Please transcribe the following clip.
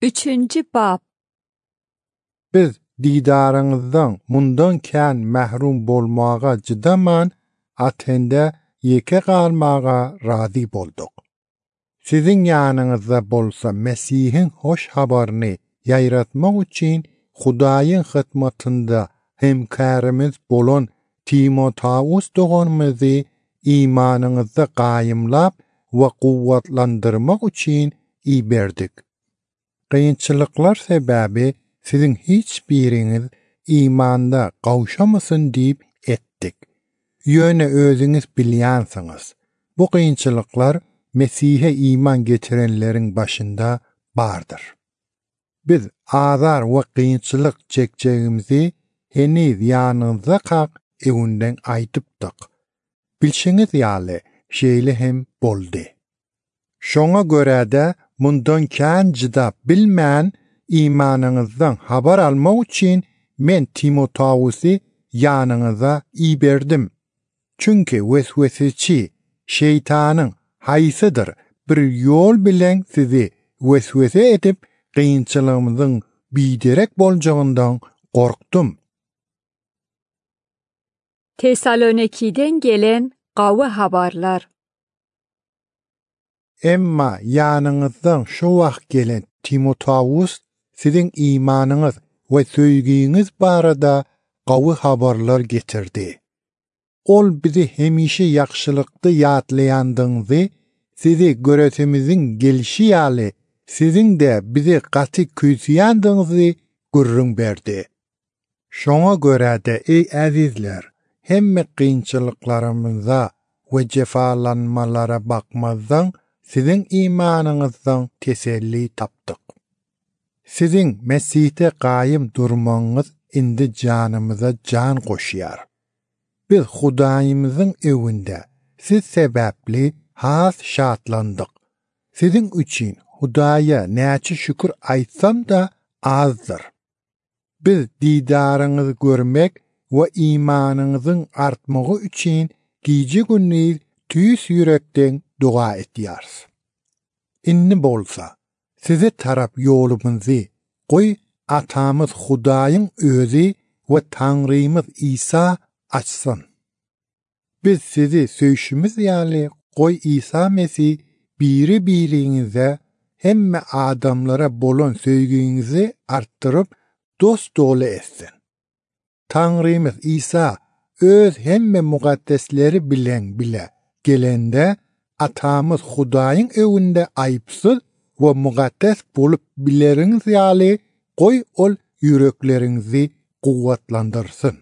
3. bab. Biz didarıňyzdan mundan kän mahrum bolmaga jydaman Atende ýeke galmaga razy bolduk. Sizin ýanyňyzda bolsa Mesihin hoş habaryny ýaýratmak üçin Hudaýyň hyzmatynda hemkärimiz bolan Timoteus doganymyzy imanyňyzda gaýymlap we guwwatlandyrmak üçin iberdik. Kıyınçılıklar sebebi sizin hiç biriniz imanda kavşamasın deyip ettik. Yöne özünüz bilyansınız. Bu kıyınçılıklar Mesih'e iman getirenlerin başında bardır. Biz azar ve kıyınçılık çekeceğimizi heniz yanınıza kalk evinden aytıptık. Bilşiniz yali şeyli hem boldu. Şoňa göre de mundan kän jydap bilmän imanınızdan habar almak üçin men Timoteusy ýanyňyza iberdim. Çünki wesweseçi şeytanyň haýsydyr bir ýol bilen sizi weswese edip kıyınçılığımızın biderek boljagyndan korktum. Tesaloniki'den gelen gawy habarlar. Emma ýanyňyzdan şo wagt gelen Timoteus sizin imanyňyz we söýgüňiz barada gawy habarlar getirdi. Ol bizi hemişe ýakşylykdy ýatlaýandyňyzy, sizi göretemizin gelişi ýaly sizin de bizi gaty küýsýändiňizi görrüň berdi. Şoňa göre de ey azizler, hemme kıyınçılıklarımıza ve cefalanmalara bakmazdan sizin imanınızdan teselli taptık. Sizin Mesih'te qaýym durmaňyz indi canımıza can koşýar. Biz Hudaýymyzyň evinde siz sebäpli has şatlandyk. Sizin üçin Hudaýa näçe şükür aýtsam da azdır. Biz didarıňyzy görmek we imanyňyzyň artmagy üçin gije gündüz tüýs ýürekden dua etýäris. Inni bolsa, size tarap ýolumuzy goý atamyz Hudaýyň özü we Taňrymyz İsa açsyn. Biz sizi söýüşimiz ýaly goý İsa Mesih biri-biriňize hemme adamlara bolan söýgüňizi artdyryp dost dolu etsin. Taňrymyz İsa öz hemme mugaddesleri bilen bile gelende atamyz Hudaýyň evinde aýpsyz we mugaddes bolup bileriňiz ýaly goý ol ýüreklerinizi guwwatlandyrsyn.